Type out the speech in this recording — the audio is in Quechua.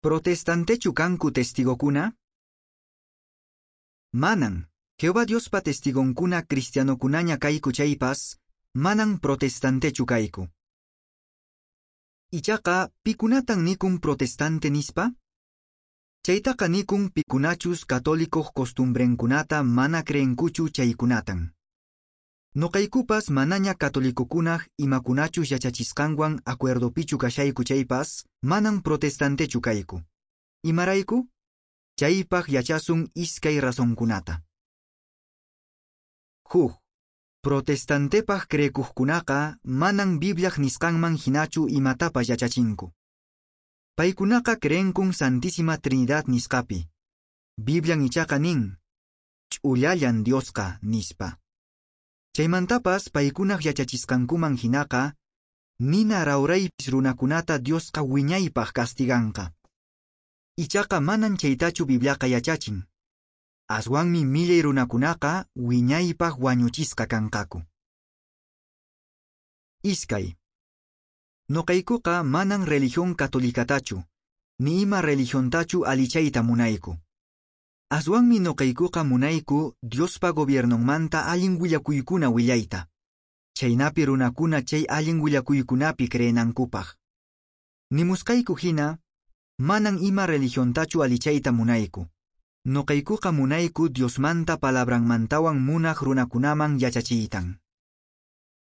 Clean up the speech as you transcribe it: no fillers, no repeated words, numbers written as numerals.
Protestantechu kanku testigokuna? Manan. Jehová Diospa testigonkuna cristianokunaña kayku chaypas, manan protestantechu kayku. Ichaqa, pikunatan nikun protestante nispa? Chaytaqa nikun pikunachus católicoq costumbrenkunata mana creenkuchu chaykunatan. Noqaykupas manaña catolicokunaq imakunachus yachachisqanwan acuerdopichu kashayku chaypas, manan protestantechu kayku. Imarayku? Chaypaq yachasun iskay razonkunata. Huk, protestantepaq creekuqkunaqa manan Bibliaq nisqanman hinachu imatapas yachachinku. Paykunaqa creenkun Santísima Trinidad nisqapi. Biblian ichaqa nin, ch'ullallan Diosqa nispa. Chaymantapas paykunaq yachachisqankuman hinaqa, nina rawraypis runakunata Diosqa wiñaypaq castiganqa. Ichaqa manan chaytachu Bibliaqa yachachin. Aswanmi millay runakunaqa wiñaypaq wañuchisqa kanqaku. Iskay. Noqaykuqa manan religión católicatachu, ni ima religiontachu alichayta munayku. Aswanmi noqaykuqa munayku Diospa gobiernonmanta allin willakuykuna willayta. Chaynapi runakuna chay allin willakuykunapi creenankupaq. Nimusqayku hina, manan ima religiontachu alichayta munayku. Noqaykuqa munayku Diosmanta palabranmantawan munaq runakunaman yachachiytan.